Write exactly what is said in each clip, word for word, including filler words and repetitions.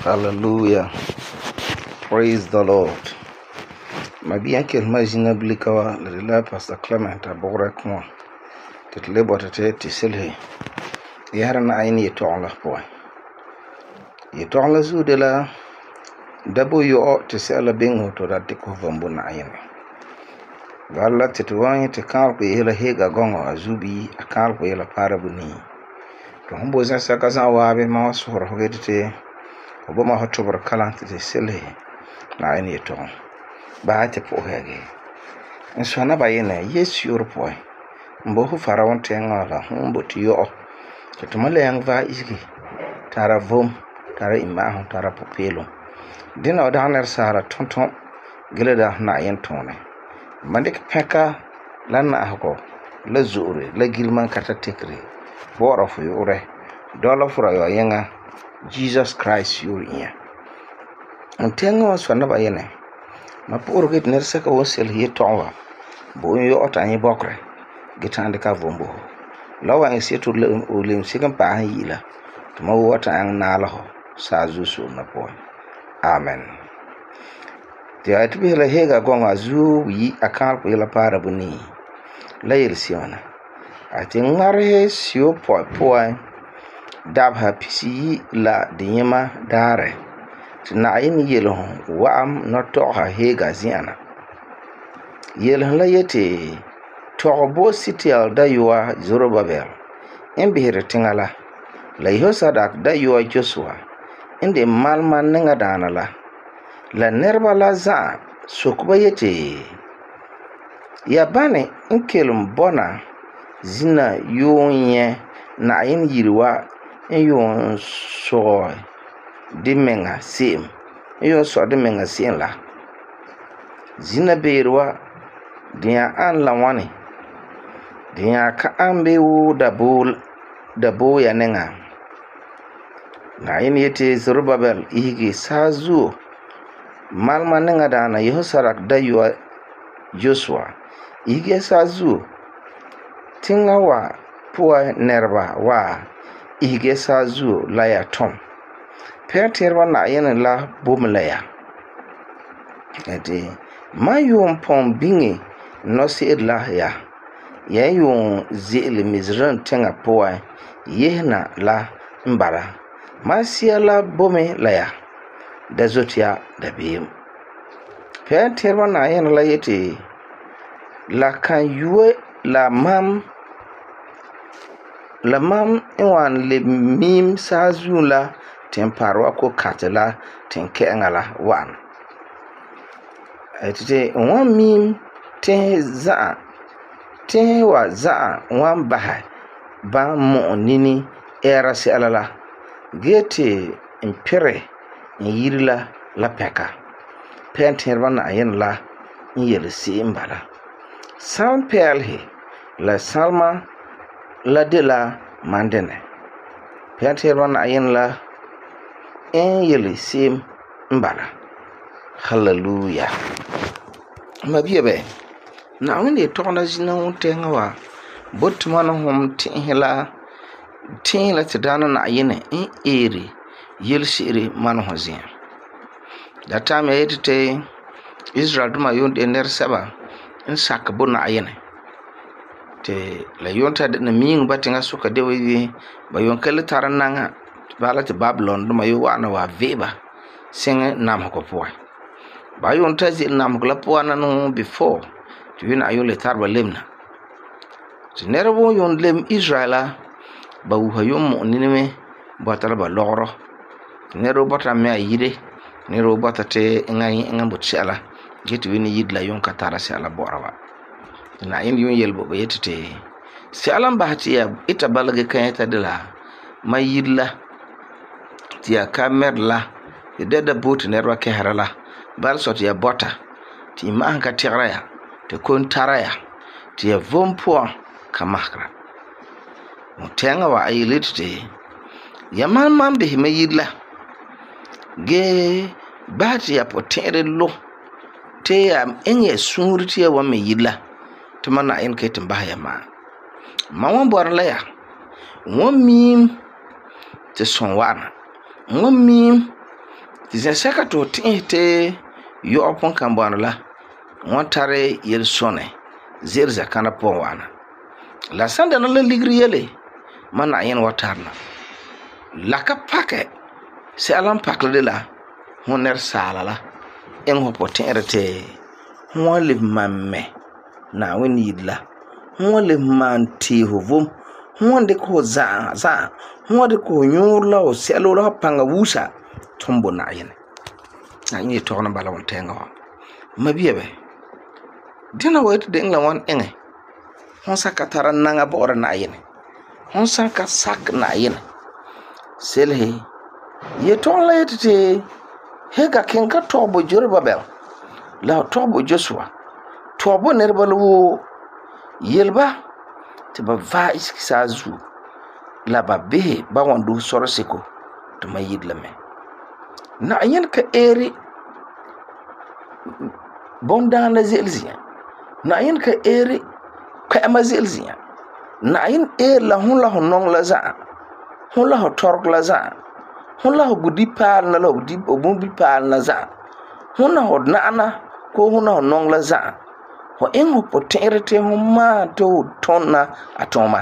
Hallelujah. Praise the Lord. Mabiyan kel mazina blika wa la de la Pastor Clement abogre kuma. Tet le bota te tisilhe. Yara na ayni ye tongla po. Ye tongla zu de la dabo yo te sela bingo to da diko vambo na ayni. Wala te tuwanyi te kan ko yela hega gongo azubi akal ko yela parabuni. To humbo zan saka zan wabe ma wasoro hogete obo ma hotobor kalan te silhe na ayni ye tong. Ba te po hege. En so na ba yene yesu yor po. Mbo hu farawon te ngala humbo ti yo. Te tumale yang va isgi. Tara vom, tara imahon, tara popelo. Dina odaner sara tonton gileda na yen tone. Mandik peka lan na hako la zure la gilman kata tekri. Bora fu yore. Dola fura yo yenga Jesus Christ yuri iya. Untenga so na ba yene. Ma poro git ner saka wosel ye tonwa. Bo yo otanyi bokre. Gitande ka vombo. Lawa en setu le ulim sikan pa yila. Tuma wota ang nalaho sa zusu na po. Amen. Ti atibi la hega gonga zu yi akal ko yela para buni. La yel siona. Ati ngare sio po po. Dabha pisi la dinyema dare. Na yin yelo wa'am no toha hega ziana. Yelo la yete tobo sitial da yuwa Zorobabel. Imbihire tingala. La Yehosadak da yuwa Joshua. Inde malman ninga dana la. La nerba la za sokuba yete. Ya bane inkelum bona zina yonye na yin yiriwa yon so di menga sim. Yon so di menga sim la. Zina beirwa dia an la wani. Dia ka ambe wu dabul dabo ya nenga. Na yin yete Zorobabel ihigi sazu malma nenga dana Yehosadak da yuwa Joshua. Ihigi sazu tinga wa puwa nerba wa ihigi sazu la ya tom. Perterwa na yin la bumlaya. Eti ma yun pon bingi no si la ya. Ya yun zili mizran tenga puwa yehna la mbara. Ma siya la bome la ya. Da zotia da biyem. Perterwa na yin la yeti la kan yuwe la mam la mam inwan le mim sazu la temparwa ko katela tenkenga la wan. Etite wan mim ten za ten wa za wan baha ba mo nini era si alala gete impire yirila la peka penterba na yen la yel si imbala sam pelhe la salma la de la mandene penterba na yen la en yel si imbala. Hallelujah. Mabiebe na wende tokna zina wontenga wa botmana hom tinhela tinhela tidana na yene in eri yelshiri man hozin. Da time yetete Israel duma yonde ner saba in sakabo na yene. Te la yonta de na ming batinga suka de wi ba yonkele tarananga bala te Babylon duma yo wana wa veba sing nam ko po. Ba yonta zil nam ko la po na no before to win ayole tarba lemna. Ti nerbo yon lem Israela ba wuha yom mo ninime batala ba logro. Nero bata me ayide nero bata te ngai ngambo tsala gitu wini yidla yon katara se ala borawa. Na yin yon yelbo ba yetete se alam bahati ya ita balage kanyata de la ma yidla ti ya kamerla de da bot nerwa ke harala bal sot ya bota ti ma an ka tigra ya te kon taraya ti ya vompo kamakra. Mutenga wa ayilite ya man man be me yidla ge bahati ya potere lo te ya enye sunriti ya wa me yidla te mana en ke timba ya ma ma won bor la ya won mim te son wana won mim Ti zɛsɛka to ti'isɛ te yɔ'ɔ pon kan bɔna la wan tare yel sɔnɛ ze'ele zakana pɔgɔ wana. La san dana la ligiri yele man Na'ayenɛ wa tarena. La ka pakɛ sɛla n pakɛ de la hon nɛresaala la iŋɛ ho puti'irɛ te hon wan lebe man mɛ Na'ayenɛ yire la, hon wan lebe man tee ho vom, hon wan dikɛ ho za'a za'a, hon wan dikɛ ho nyuurɔ la ho sɛlo la ho paŋa wusa tum bo Na'ayenɛ. Na'ayenɛ yetɔgom na bala wontɛɛŋa wa. Mabia bɛ, dina wa yeti de'eŋa la wan iŋɛ hon san ka tara naŋa bɔ'ɔra Na'ayenɛ, hon san ka sakɛ Na'ayenɛ. Selese, yetɔgom la yeti te hega ken ka tɔgɛ bo Jerubabel la ho tɔgɛ bo Joshua, tɔgɛ bo nɛreba la woo, yeleba ti ba vaɛ isege saazuo la ba bisɛ ba wan dusi sɔrɔ seko ti ma yire la mɛ. Na'ayenɛ ka eeri bondaana ze'ele zi'an. Na'ayenɛ ka eeri kpɛ'ɛma ze'ele zi'an. Na'ayenɛ eeri la hon la ho nɔŋɛ la za'a, hon la ho tɔregɔ la za'a, hon la ho budipaalena la ho bonbipaalena za'a, hon na ho na'ana koo hon na ho nɔŋɛ la za'a. Ho iŋɛ ho puti'irɛ te hon maan te ho tɔna a tɔma.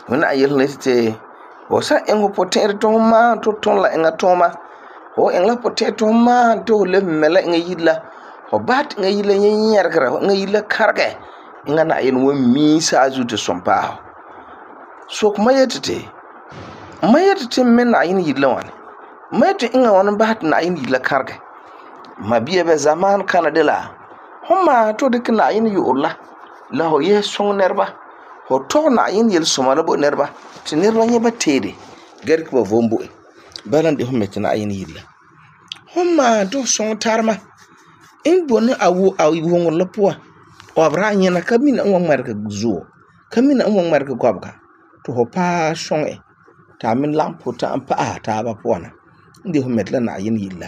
Ho na yele ne te ho san iŋɛ ho puti'irɛ te hon maan te ho tɔna la eŋa tɔma, ho iŋɛ la puti'irɛ te hon maan te ho lebe mɛ la eŋa yire la, ho basɛ te eŋa yire la nyɛ nyɛregera, eŋa yire la karegɛ, eŋa Na'ayenɛ wan mii saazuo te sɔm paɛ ho. Sokɛ ma yeti te, ma yeti te mɛ Na'ayenɛ yire la ŋwane? Ma yeti eŋa ŋwane basɛ te Na'ayenɛ yire la karegɛ? Ma bia bɛ zamaan kana de la hon maan te ho dikɛ Na'ayenɛ yu'urɛ la la ho yese suŋɛ nɛreba, ho tɔgɛ Na'ayenɛ yelesoma la bo nɛreba ti nɛreba nyɛ ba teere ga dikɛ ba vom bo e. Bala n de hon mɛ te Na'ayenɛ yire la. Hon maan te ho suŋɛ tarema n bone a wuŋerɛ la puan, ɔbera a nyɛna ka mina n wan ŋmɛregɛ zuo, ka mina n wan ŋmɛregɛ gɔbega, ti ho paɛ suŋɛ e ta a me lagom puta'am pa'asɛ taaba puan na. N de hon mɛ te la Na'ayenɛ yire la.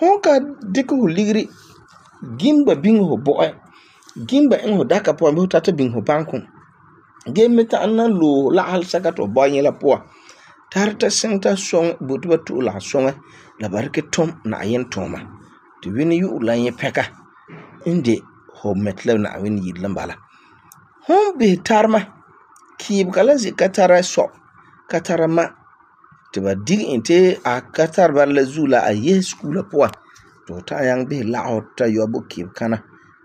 Hon ka dikɛ ho ligiri gim ba biŋe ho bɔ'ɛ, gim ba iŋɛ ho daka puan bii ho tata biŋe ho bankum, gee me ta'am na loe lagehe sɛka ti ho bɔi nyɛ la puan, tara ta siŋɛ ta suŋɛ bo ti ba tu'u lagesuŋɛ la ba dikɛ tum Na'ayenɛ tuuma. Ti wini yu'urɛ la nyɛ pɛka n de ho mɛ te la Na'ayenɛ yire la bala. Hon bisɛ tarema, kiibega la ze ka tara sɔ, ka tara ma, ti ba dige e te a ka tara bala la zuo la a yese sukuu la puan, ti ho ta'am nyaŋɛ bisɛ lagefo ta yɔ bo kiibekana,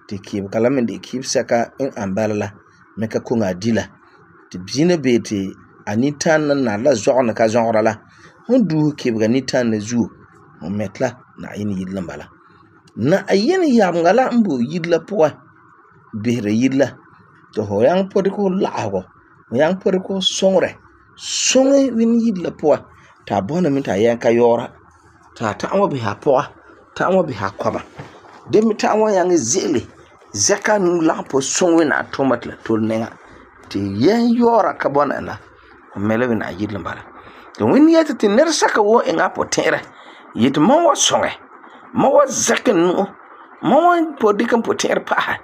ti kiibega la me de kiibesɛka n an bala la me ka koŋe a di la. Ti zina bee ti a nitana na la zɔgena ka zɔgera la, hon duuse kiibega nitana na zuo, ho mɛ te la Na'ayenɛ yire la bala. Na'ayenɛ yameŋa la n bo yire la puan bisera yire la, ti ho nyaŋɛ po dikɛ ho lagefɔ, ho nyaŋɛ po dikɛ ho suŋerɛ suŋɛ wini yire la puan, ti a bɔna me ti a yɛn ka yɔɔra, ti a ta'am wa bisɛ a pɔga, ta'am wa bisɛ a kɔma, de me ta'am wa nyaŋɛ ze'ele zɛka nu lagom po suŋɛ wina a tuuma ti la tole nɛŋa, ti yɛn yɔɔra ka bɔna e la, ho mɛ la wina a yire la bala. Ti wini yeti ti nɛresɛka woo iŋɛ a puti'irɛ yeti mam wa suŋɛ, mam wa zɛkɛ n nu'o, mam wa po dikɛ n puti'irɛ pa'asɛ,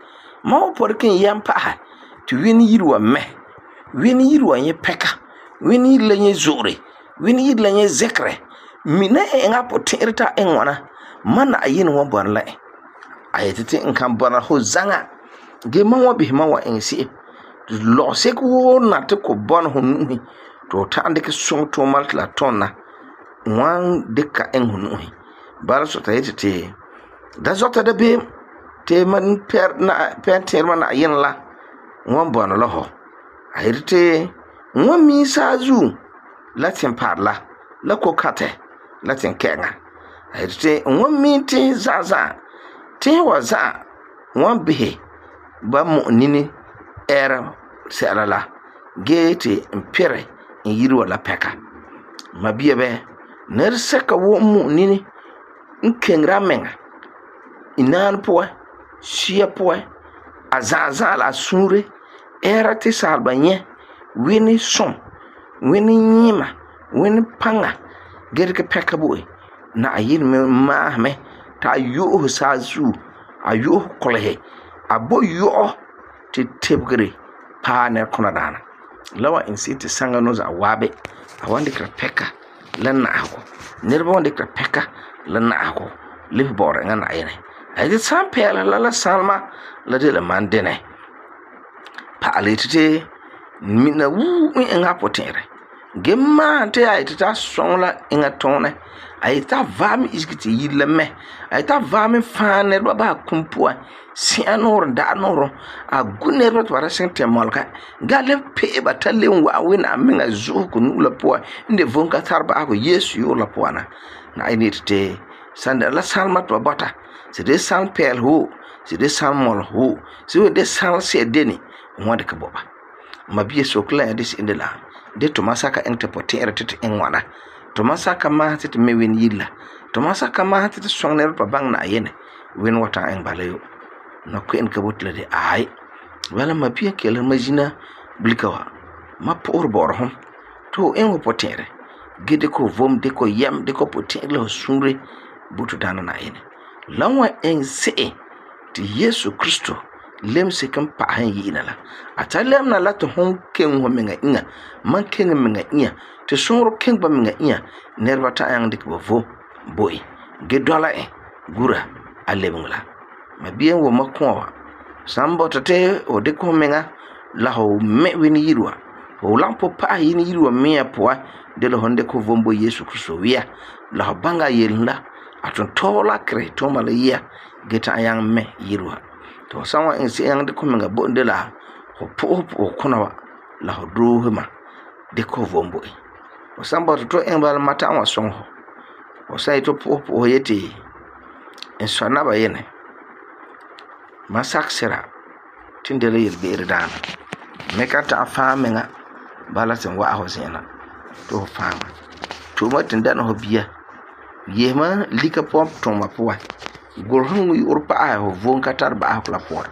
mam wa po dikɛ n yɛm pa'asɛ, ti wini yire wa mɛ, wini yire wa nyɛ pɛka, wini yire la nyɛ zo'ore, wini yire la nyɛ zɛkerɛ, mina e eŋa a puti'irɛ ta a iŋɛ ŋwana, ma Na'ayenɛ wan bɔna la e. A yeti ti n kan bɔna ho zaŋa, gee mam wa bisɛ mam wa iŋɛ se'em. Lɔgeseko woo na ti ko bɔna ho nu'usi ti ho ta'am dikɛ suŋɛ tuuma ti la tuna, n wan dikɛ ka iŋɛ ho nu'usi. Bala sɔta yeti ti da zɔta da beem ti man pɛntiirema Na'ayenɛ la n wan bɔna la ho. A yeti ti n wan mii saazuo la timpari la, la kokatɛ, la tinkɛ'ɛŋa. A yeti ti n wan mii tiisi za'a za'a, tiisi wa za'a n wan bisɛ ba mu'u nini ɛɛra sɛla la, gee ti n pirɛ n yire wa la pɛka. Ma bia bɛ, nɛresɛka woo n mu'u nini n keŋera a meŋa inaane puan, sia puan, a za'a za'a la a suure ɛɛra ti saaleba nyɛ wini sum, wini nyiima, wini paŋa, gee dikɛ pɛka bo e. Na'ayenɛ me maasɛ me ti a yu'usɛ saazuo, a yu'usɛ kulesi, a bo yɔ'ɔ ti tebegere paɛ nɛrekuna daana. La wan iŋɛ se'em ti saŋa no za'a waabi, a wan dikera pɛka la na'ahegɔ niraba wan dikɛ pɛka la na'ahegɔ lebe bɔ'ɔra eŋa Na'ayenɛ ayete san pɛɛla la la salema la de la man dɛnɛ pa'ala yete te mina wuu n eŋa potɛ'ɛrɛ ge maan te a yete ta sɔŋ la eŋa tɔɔnɛ a yete ta vaɛ me isege te yiri la mɛ a yete ta vaɛ me fãa nɛreba ba kum puan sɛ'a noorɛ da'a noorɛ a gu nɛreba te ba ra seŋ tɛ mɔlega ga le pe'e ba ta le wa wena menga zu'uko nu'u la puan inde vom ka tar ba'ago Yesu yu'ur la puan na Na'ayenɛ yete te san da la salma to bata se de san pel ho se de san mol ho se de san se deni wanda ka boba mabie sokla de se indela de to masaka ente potere tete en wana to masaka ma tete mewin yilla to masaka ma tete songne pa bang na yene wen wata en balayo no ko en ka botla de ay wala mabie kele majina blikawa ma por bor hon to en wo potere gede ko vom de ko yam de ko potere lo sunre butu dana na yene lanwa en se ti Yesu Kristo lem se kan pa han yina la atalem na la to hon ken ho menga inga man ken menga inya te sonro ken ba menga inya nerva ta yang dik bo vo boy ge dola e gura alebungla ma bien wo makwa sambo tate o de ko menga la ho me weni yirwa o lampo pa yini yirwa me poa de lo honde ko vombo Yesu Kristo wiya la banga yelna aton tola kre to mala ya geta yang me yirwa to sanwa en se yang de ko menga bonde la ho po po kuna wa la ho do ma de ko vombo e o samba to en bal mata wa son ho o sai to po po yete en sona ba yene masak sera tindele yel be irdana me ka ta fa menga bala sen wa ho sena to fa to ma tinda no biya yema lika pop to ma po gorhun wi urpa a ho von katar ba akla po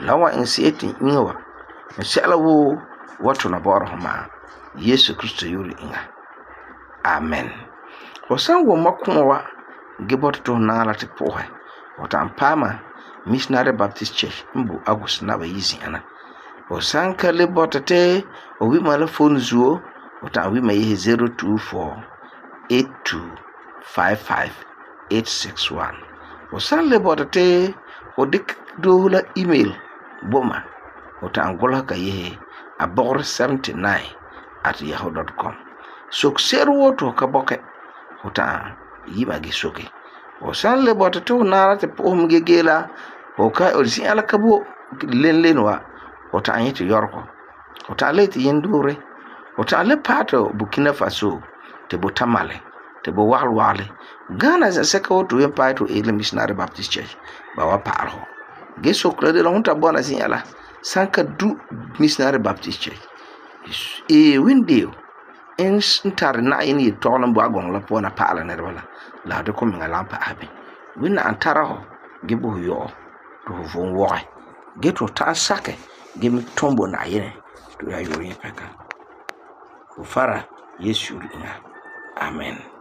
lawa en seti inwa inshallah wo wato na bor homa Yesu Kristo yuri inga amen wasan wo makunwa gebot to na la te po ha wata ampama Missionary Baptist Church mbu agus na ba yizi ana wasan ka le botate o wi mala phone zuo wata wi ma yi zero two four eight two five five eight six one wasan le botate o dik do la email boma wata angola ka yi abor seventy-nine at yahoo dot com so seru to ka boke wata yi ba gi soke wasan le botate na te po mgegela o ka o si ala kabo len len wa wata anyiti yorko wata leti yendure wata le pato Burkina Faso te botamale te bo wal wale Ghana za seka woto yen pato ele Missionary Baptist Church ba wa parho ge sokla de la hunta bona si ala sanka du Missionary Baptist Church e windio en ntar na yini tolan bo agon la pona pala ne wala la de ko minga lampa abi winna antara ho ge bo yo to von wo ge to ta sake ge mi tombo na yene to ya yo yin peka fara Yesu ina amen.